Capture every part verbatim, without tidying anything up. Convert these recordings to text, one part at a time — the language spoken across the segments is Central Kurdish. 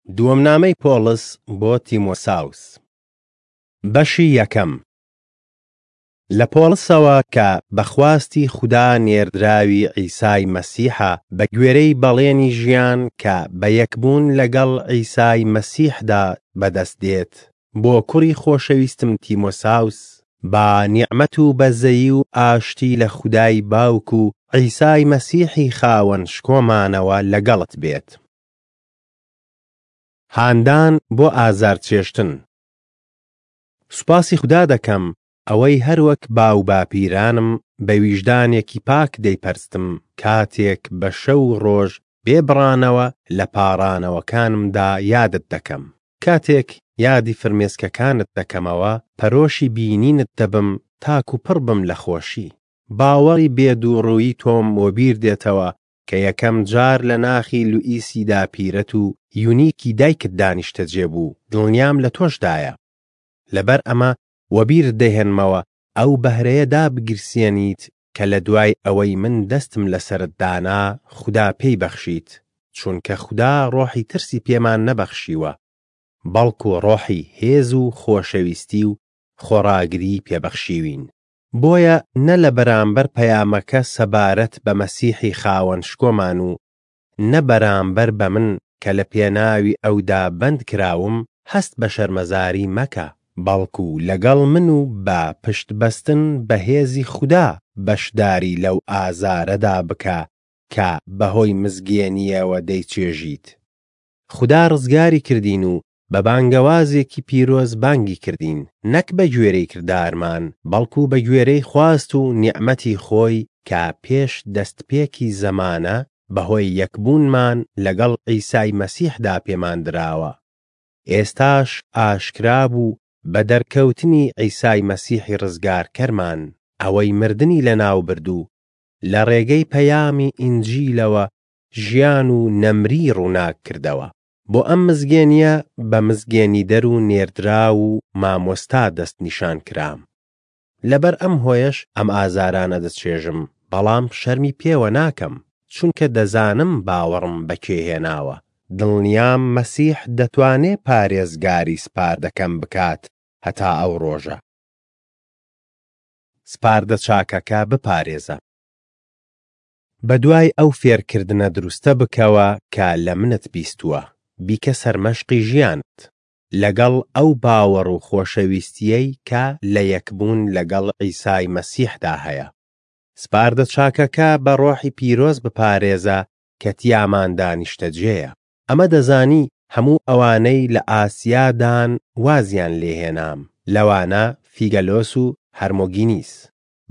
دووەم نامەی پۆڵس بۆ تیمۆساوس، بەشی یەکەم. لە پۆڵسەوە کە بە خواستی خودا نێردراوی عیسای مەسیحە، بەگوێرەی بەڵێنی ژیان کە بە یەکبوون لەگەڵ عیسای مەسیحدا بەدەستدێت، بۆ کوڕی خۆشەویستم تیمۆساوس: با نیعمەت و بەزەیی و ئاشتی لە خودای باوک و عیسای مەسیحی خاوەن شکۆمانەوە لەگەڵت بێت. هاندان بۆ ئازارچێژتن. سوپاسی خودا دەکەم، ئەوەی هەروەک باوباپیرانم بە ویژدانێکی پاک دەیپەرستم، کاتێک بە شەو و ڕۆژ بێ بڕانەوە لە پاڕانەوەکانمدا یادت دەکەم. کاتێک یادی فرمێسکەکانت دەکەمەوە، پەرۆشی بینینت دەبم تاکو پڕبم لە خۆشی. باوەڕی بێ دووڕوویی تۆم وەبیر دێتەوە کە یەکەم جار لە ناخی لوئیسی داپیرەت و یونیکی دایکتدا نیشتەجێ بوو، دڵنیام لە تۆشدایە. لەبەر ئەمە وەبیرت دەهێنمەوە ئەو بەهرەیە دابگیرسێنیت کە لەدوای ئەوەی من دەستم لەسەرت دانا خودا پێی بەخشیت، چونکە خودا ڕۆحی ترسی پێمان نەبەخشیوە، بەڵکو ڕۆحی هێز و خۆشەویستی و خۆڕاگریی پێ بەخشیوین. بۆیە نە لە بەرامبەر پەیامەکە سەبارەت بە مەسیحی خاوەن شکۆمان و نە بەرامبەر بە من کە لە پێناوی ئەودا بەند کراوم هەست بە شەرمەزاری مەکە، بەڵکو لەگەڵ من و بە پشتبەستن بە هێزی خودا بەشداری لەو ئازارەدا بکە کە بەهۆی مزگێنییەوە دەیچێژیت. خودا ڕزگاری کردین و بە بانگەوازێکی پیرۆز بانگی کردین، نەک بەگوێرەی کردارمان، بەڵکو بەگوێرەی خواست و نیعمەتی خۆی کە پێش دەستپێکی زەمانە بەهۆی یەکبوونمان لەگەڵ عیسای مەسیحدا پێمان دراوە، ئێستاش ئاشکرا بوو بە دەرکەوتنی عیسای مەسیحی ڕزگارکەرمان، ئەوەی مردنی لەناوبرد و لە ڕێگەی پەیامی ئینجیلەوە ژیان و نەمریی ڕووناک کردەوە. بۆ ئەم مزگێنییە بە مزگێنیدەر و نێردراو و مامۆستا دەستنیشان کرام. لەبەر ئەم هۆیەش ئەم ئازارانە دەچێژم، بەڵام شەرمی پێوە ناکەم، چونکە دەزانم باوەڕم بە کێ هێناوە، دڵنیام مەسیح دەتوانێ پارێزگاری سپاردەکەم بکات هەتا ئەو ڕۆژە. سپاردە چاکەکە بپارێزە. بەدوای ئەو فێرکردنە دروستە بکەوە کە لە منت بیستووە، بیکە سەرمەشقی ژیانت، لەگەڵ ئەو باوەڕ و خۆشەویستییەی کە لە یەکبوون لەگەڵ عیسای مەسیحدا هەیە. سپاردە چاکەکە بە ڕۆحی پیرۆز بپارێزە کە تیاماندا نیشتەجێیە. ئەمە دەزانی هەموو ئەوانەی لە ئاسیادان وازیان لێ هێنام، لەوانە فیگەلۆس و هەرمۆگینیس.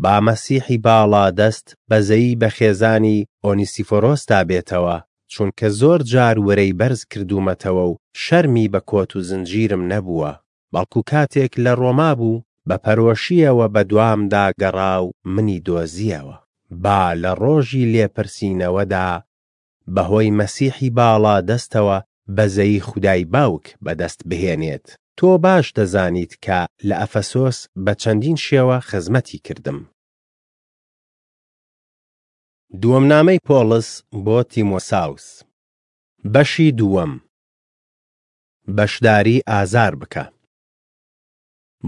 با مەسیحی باڵادەست بەزەیی بە خێزانی ئۆنیسیفۆرۆسدا بێتەوە، چونکە زۆر جار ورەی بەرز کردوومەتەوە و شەرمی بە کۆت و زنجیرم نەبووە، بەڵکو کاتێک لە ڕۆما بوو بە پەرۆشییەوە بەدوامدا گەڕا و منی دۆزییەوە. با لە ڕۆژی لێپرسینەوەدا بەهۆی مەسیحی باڵادەستەوە بەزەیی خودای باوک بەدەستبهێنێت. تۆ باش دەزانیت کە لە ئەفەسۆس بە چەندین شێوە خزمەتی کردم. دووەم نامەی پۆڵس بۆ تیمۆساوس، بەشی دووەم. بەشداری ئازار بکە.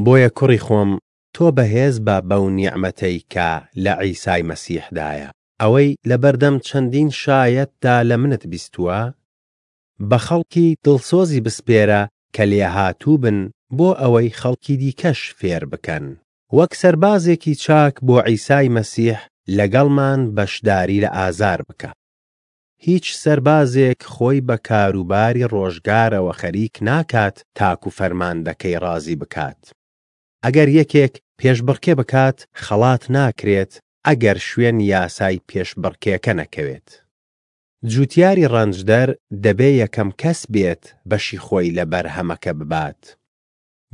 بۆیە کوڕی خۆم، تۆ بەهێز بە بەو نیعمەتەی کە لە عیسای مەسیحدایە. ئەوەی لەبەردەم چەندین شایەتدا لە منت بیستووە، بە خەڵکی دڵسۆزی بسپێرە کە لێهاتوو بن بۆ ئەوەی خەڵکی دیکەش فێر بکەن. وەک سەربازێکی چاک بۆ عیسای مەسیح لەگەڵمان بەشداری لە ئازار بکە. هیچ سەربازێک خۆی بە کاروباری ڕۆژگارەوە خەریک ناکات تاکو فەرماندەکەی ڕازی بکات. ئەگەر یەکێک پێشبڕکێ بکات خەڵات ناکرێت ئەگەر شوێن یاسای پێشبڕکێکە نەکەوێت. جوتیاری ڕەنجدەر دەبێ یەکەم کەس بێت بەشی خۆی لە بەرهەمەکە ببات.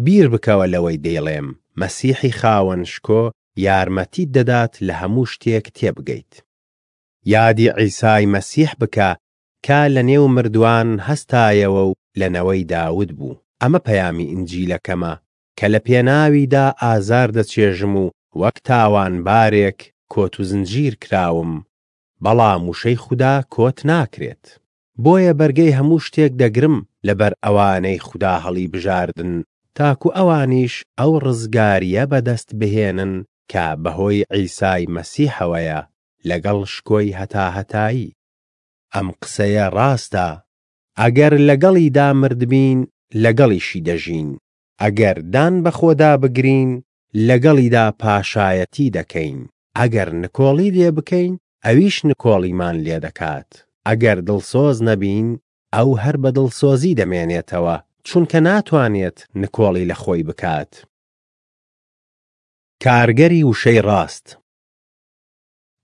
بیر بکەوە لەوەی دەیڵێم، مەسیحی خاوەن شکۆ یارمەتیت دەدات لە هەموو شتێک تێبگەیت. یادی عیسای مەسیح بکە کە لەنێو مردووان هەستایەوە و لە نەوەی داود بوو. ئەمە پەیامی ئینجیلەکەمە کە لە پێناویدا ئازار دەچێژم و وەک تاوانبارێک کۆت و زنجیر کراوم، بەڵام وشەی خودا کۆت ناکرێت. بۆیە بەرگەی هەموو شتێک دەگرم لەبەر ئەوانەی خودا هەڵیبژاردن، تاکو ئەوانیش ئەو ڕزگارییە بەدەستبهێنن کە بەهۆی عیسای مەسیحەوەیە، لەگەڵ شکۆی هەتاهەتایی. ئەم قسەیە ڕاستە: ئەگەر لەگەڵیدا مردبین، لەگەڵیشی دەژین. ئەگەر دان بەخۆدا بگرین، لەگەڵیدا پاشایەتی دەکەین. ئەگەر نکۆڵی لێ بکەین، ئەویش نکۆڵیمان لێ دەکات. ئەگەر دڵسۆز نەبین، ئەو هەر بە دڵسۆزی دەمێنێتەوە، چونکە ناتوانێت نکۆڵی لە خۆی بکات. کارگەری وشەی ڕاست.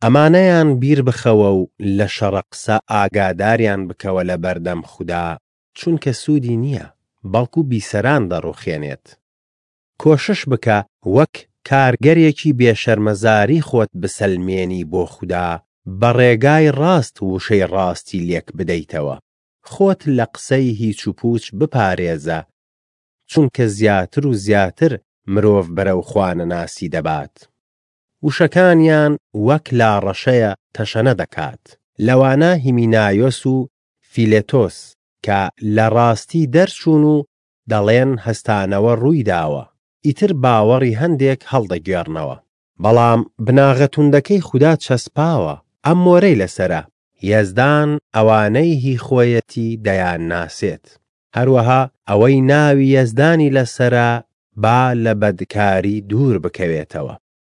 ئەمانەیان بیربخەوە و لە شەڕە قسە ئاگاداریان بکەوە لەبەردەم خودا، چونکە سوودی نییە، بەڵکو بیسەران دەڕووخێنێت. کۆشش بکە وەک کارگەرێکی بێ شەرمەزاری خۆت بسەلمێنی بۆ خودا، بە ڕێگای ڕاست وشەی ڕاستی لێک بدەیتەوە. خۆت لە قسەی هیچوپووچ بپارێزە، چونکە زیاتر و زیاتر مرۆڤ بەرەو خوانەناسی دەبات. وشەکانیان وەک لاڕەشەیە تەشەنە دەکات. لەوانە هیمینایۆس و فیلێتۆس کە لە ڕاستی دەرچوون و دەڵێن هەستانەوە ڕوویداوە، ئیتر باوەڕی هەندێک هەڵدەگێڕنەوە. بەڵام بناغە توندەکەی خودا چەسپاوە، ئەم مۆرەی لەسەرە: یەزدان ئەوانەی هی خۆیەتی دەیانناسێت. هەروەها ئەوەی ناوی یەزدانی لەسەرە با لە بەدکاری دوور بکەوێتەوە.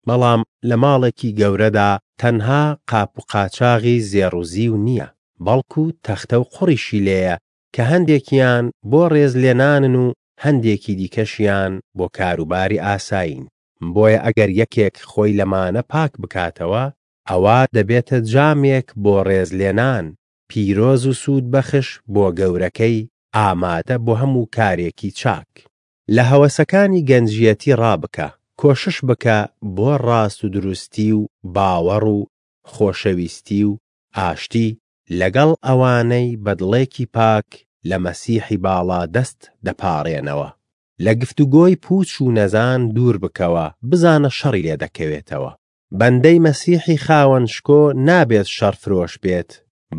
بەڵام لە ماڵێکی گەورەدا تەنها قاپوقاچاغی زێڕ و زیو نییە، بەڵکو تەختە و قوڕیشی لێیە کە هەندێکیان بۆ ڕێزلێنانن و هەندێکی دیکەشیان بۆ کاروباری ئاسایین. بۆیە ئەگەر یەکێک خۆی لەمانە پاک بکاتەوە، ئەوا دەبێتە جامێک بۆ ڕێزلێنان، پیرۆز و سوودبەخش بۆ گەورەکەی، ئامادە بۆ هەموو کارێکی چاک. لە هەوەسەکانی گەنجییەتی ڕابکە، کۆشش بکە بۆ ڕاستودروستی و باوەڕ و خۆشەویستی و ئاشتی لەگەڵ ئەوانەی بە دڵێکی پاک لە مەسیحی باڵادەست دەپاڕێنەوە. لە گفتوگۆی پووچ و نەزان دوور بکەوە، بزانە شەڕی لێ دەکەوێتەوە. بەندەی مەسیحی خاوەن شکۆ نابێت شەڕفرۆش بێت،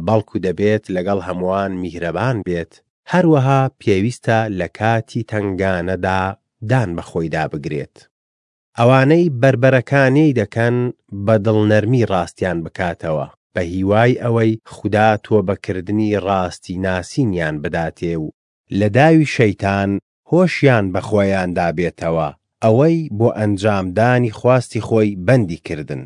بەڵکو دەبێت لەگەڵ هەمووان میهرەبان بێت، هەروەها پێویستە لە کاتی تەنگانەدا دان بە خۆیدا بگرێت. ئەوانەی بەربەرەکانێی دەکەن بە دڵنەرمی ڕاستیان بکاتەوە، بە هیوای ئەوەی خودا تۆبەکردنی ڕاستی ناسینیان بداتێ و لە داوی شەیتان هۆشیان بە خۆیاندا بێتەوە، ئەوەی بۆ ئەنجامدانی خواستی خۆی بەندی کردن.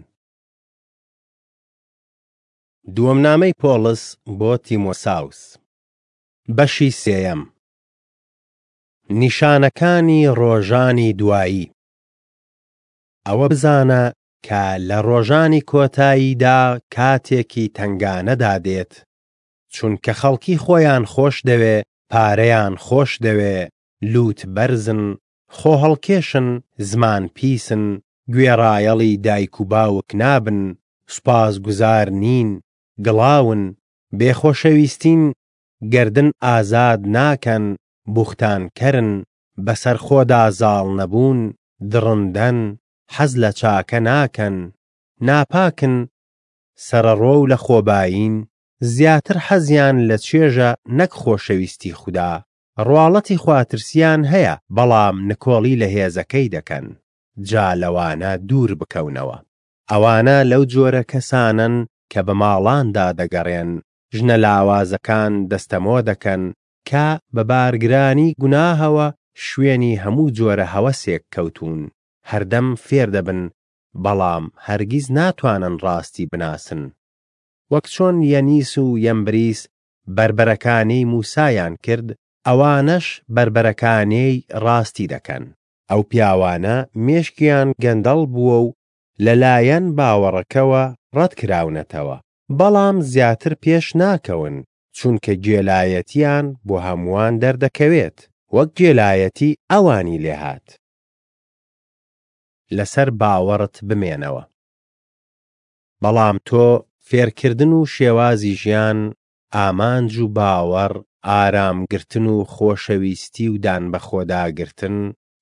دووەم نامەی پۆڵس بۆ تیمۆساوس، بەشی سێیەم. نیشانەکانی ڕۆژانی دوایی. ئەوە بزانە کە لە ڕۆژانی کۆتاییدا کاتێکی تەنگانە دادێت، چونکە خەڵکی خۆیان خۆشدەوێ، پارەیان خۆشدەوێ، لووتبەرزن، خۆهەڵکێشن، زمان پیسن، گوێڕایەڵی دایک و باوک نابن، سوپاسگوزار نین، گڵاون، بێ خۆشەویستین، گەردن ئازاد ناکەن، بوختانکەرن، بەسەر خۆدا زاڵ نەبوون، دڕندەن، حەز لە چاکە ناکەن، ناپاکن، سەرەڕۆ و لەخۆبایین، زیاتر حەزیان لە چێژە نەک خۆشەویستی خودا، ڕواڵەتی خواترسییان هەیە، بەڵام نکۆڵی لە هێزەکەی دەکەن. جا لەوانە دوور بکەونەوە. ئەوانە لەو جۆرە کەسانەن کە بە ماڵاندا دەگەڕێن، ژنە لاوازەکان دەستەمۆ دەکەن کە بە بارگرانی گوناهەوە شوێنی هەموو جۆرە هەوەسێک کەوتوون. هەردەم فێر دەبن، بەڵام هەرگیز ناتوانن ڕاستی بناسن. وەک چۆن یەنیس و یەمبریس بەربەرەکانێی موسایان کرد، ئەوانەش بەربەرەکانێی ڕاستی دەکەن. ئەو پیاوانە مێشکیان گەندەڵ بووە و لەلایەن باوەڕەکەوە ڕەتکراونەتەوە. بەڵام زیاتر پێش ناکەون، چونکە گێلایەتییان بۆ هەمووان دەردەکەوێت، وەک گێلایەتی ئەوانی لێهات. لەسەر باوەڕت بمێنەوە. بەڵام تۆ فێرکردن و شێوازی ژیان، ئامانج و باوەڕ، ئارامگرتن و خۆشەویستی و دانبەخۆداگرتن،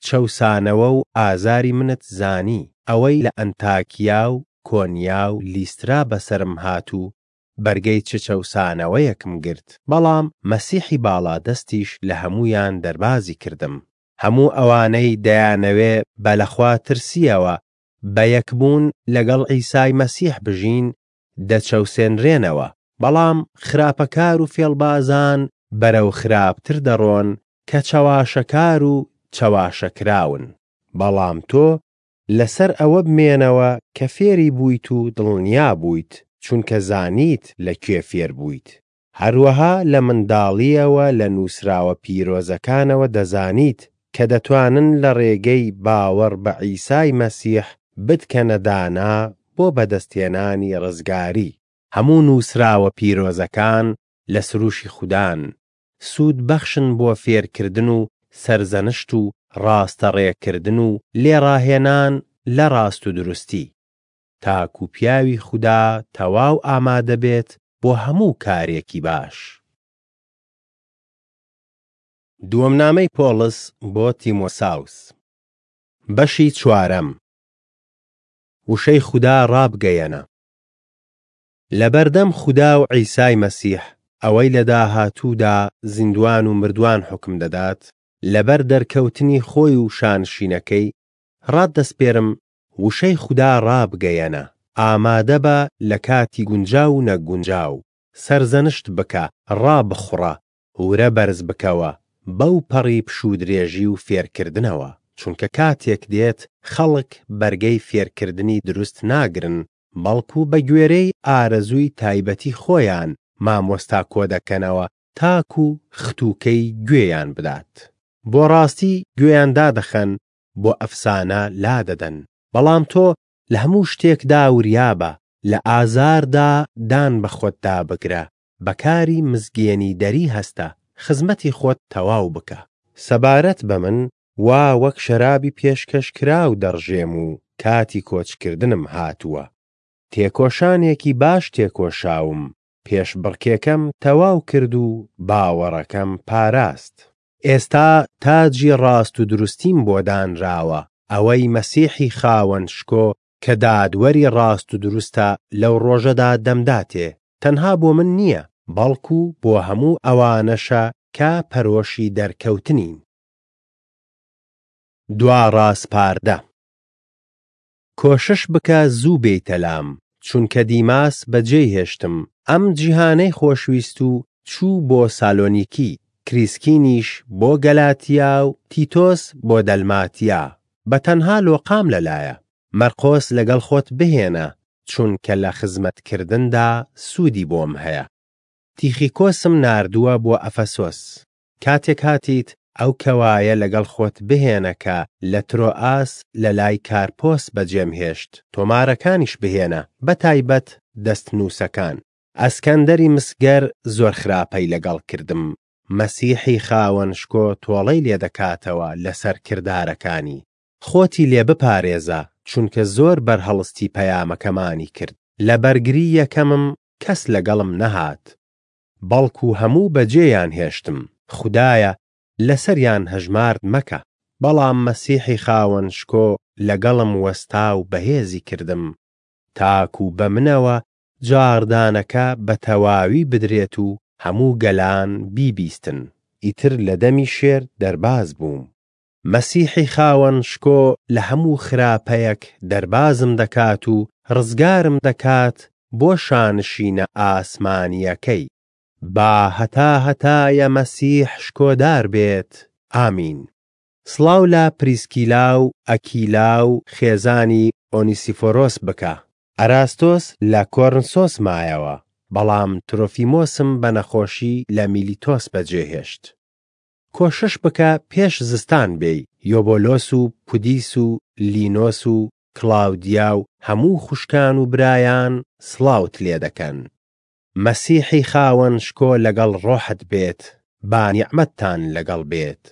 چەوسانەوە و ئازاری منت زانی، ئەوەی لە ئەنتاکیا و کۆنیا و لیسترا بەسەرم هات و بەرگەی چ چەوسانەوەیەکم گرت، بەڵام مەسیحی باڵادەستیش لە هەموویان دەربازی کردم. هەموو ئەوانەی دەیانەوێ بە لەخواترسییەوە بە یەکبوون لەگەڵ عیسای مەسیح بژین، دەچەوسێنرێنەوە. بەڵام خراپەکار و فێڵبازان بەرەو خراپتر دەڕۆن کە چەواشەکار و چەواشەکراون. بەڵام تۆ لەسەر ئەوە بمێنەوە کە فێری بوویت و دڵنیا بوویت، چونکە زانیت لە کێ فێربوویت. هەروەها لە منداڵییەوە لە نووسراوە پیرۆزەکانەوە دەزانیت کە دەتوانن لە ڕێگەی باوەڕ بە عیسای مەسیح بتکەنە دانا بۆ بەدەستهێنانی ڕزگاری. هەموو نووسراوە پیرۆزەکان لە سروشی خودان، سوودبەخشن بۆ فێرکردن و سەرزەنشت و ڕاستەڕێکردن و لێڕاهێنان لە ڕاستودروستی، تاکو پیاوی خودا تەواو ئامادە بێت بۆ هەموو کارێکی باش. دووەم نامەی پۆڵس بۆ تیمۆساوس، بەشی چوارەم. وشەی خودا ڕابگەیەنە. لەبەردەم خودا و عیسای مەسیح، ئەوەی لە داهاتوودا زیندووان و مردووان حوکم دەدات، لەبەر دەرکەوتنی خۆی و شانشینەکەی، ڕاتدەسپێرم وشەی خودا ڕابگەیەنە. ئامادە بە لە کاتی گونجاو و نەگونجاو، سەرزەنشت بکە، ڕابخوڕە، ورە بەرز بکەوە، بەوپەڕی پشوودرێژی و فێرکردنەوە. چونکە کاتێک دێت خەڵک بەرگەی فێرکردنی دروست ناگرن، بەڵکو بەگوێرەی ئارەزووی تایبەتی خۆیان مامۆستا کۆدەکەنەوە تاکو ختووکەی گوێیان بدات. بۆ ڕاستی گوێیان دادەخەن، بۆ ئەفسانە لادەدەن. بەڵام تۆ لە هەموو شتێکدا وریابە، لە ئازاردا دان بە خۆتدا بگرە، بە کاری مزگێنیدەری هەستە، خزمەتی خۆت تەواو بکە. سەبارەت بە من، وا وەک شەرابی پێشکەشکراو دەڕژێم و کاتی کۆچکردنم هاتووە. تێکۆشانێکی باش تێکۆشاوم، پێشبڕکێکەم تەواو کرد و باوەڕەکەم پاراست. ئێستا تاجی ڕاستودروستیم بۆ دانراوە، ئەوەی مەسیحی خاوەن شکۆ کە دادوەری ڕاستودروستە لەو ڕۆژەدا دەمداتێ، تەنها بۆ من نییە، بەڵکو بۆ هەموو ئەوانەشە کە پەرۆشی دەرکەوتنین. دوا ڕاسپاردە. کۆشش بکە زوو بێیتە لام، چونکە دیماس بەجێی هێشتم، ئەم جیهانەی خۆشویست و چوو بۆ سالۆنیکی، کریسکینیش بۆ گەلاتیا و تیتۆس بۆ دەلماتیا. بە تەنها لۆقام لەلایە. مەرقۆس لەگەڵ خۆت بهێنە، چونکە لە خزمەتکردندا سوودی بۆم هەیە. تیخیکۆسم ناردووە بۆ ئەفەسۆس. کاتێک هاتیت ئەو کەوایە لەگەڵ خۆت بهێنە کە لە ترۆئاس لەلای کارپۆس بەجێم هێشت، تۆمارەکانیش بهێنە، بە تایبەت دەستنووسەکان. ئەسکەندەری مسگەر زۆر خراپەی لەگەڵ کردم، مەسیحی خاوەن شکۆ تۆڵەی لێ دەکاتەوە لەسەر کردارەکانی. خۆتی لێ بپارێزە، چونکە زۆر بەرهەڵستی پەیامەکەمانی کرد. لە بەرگری یەکەمم کەس لەگەڵم نەهات، بەڵکو هەموو بەجێیان هێشتم. خودایە لەسەریان هەژمارد مەکە. بەڵام مەسیحی خاوەن شکۆ لەگەڵم وەستا و بەهێزی کردم، تاکو بە منەوە جاڕدانەکە بە تەواوی بدرێت و هەموو گەلان بیبیستن. ئیتر لە دەمی شێر دەرباز بووم. مەسیحی خاوەن شکۆ لە هەموو خراپەیەک دەربازم دەکات و ڕزگارم دەکات بۆ شانشینە ئاسمانییەکەی. با هەتاهەتایە مەسیح شکۆدار بێت. ئامین. سڵاو لە پریسکیلا و ئەکیلا و خێزانی ئۆنیسیفۆرۆس بکە. ئەراستۆس لە کۆرنسۆس مایەوە، بەڵام ترۆفیمۆسم بە نەخۆشی لە میلیتۆس بەجێهێشت. کۆشش بکە پێش زستان بێی. یۆبۆلۆس و پودیس و لینۆس و کڵاودیا و هەموو خوشکان و برایان سڵاوت لێدەکەن. مەسیحی خاوەن شکۆ لەگەڵ ڕۆحت بێت. با نیعمەتتان لەگەڵ بێت.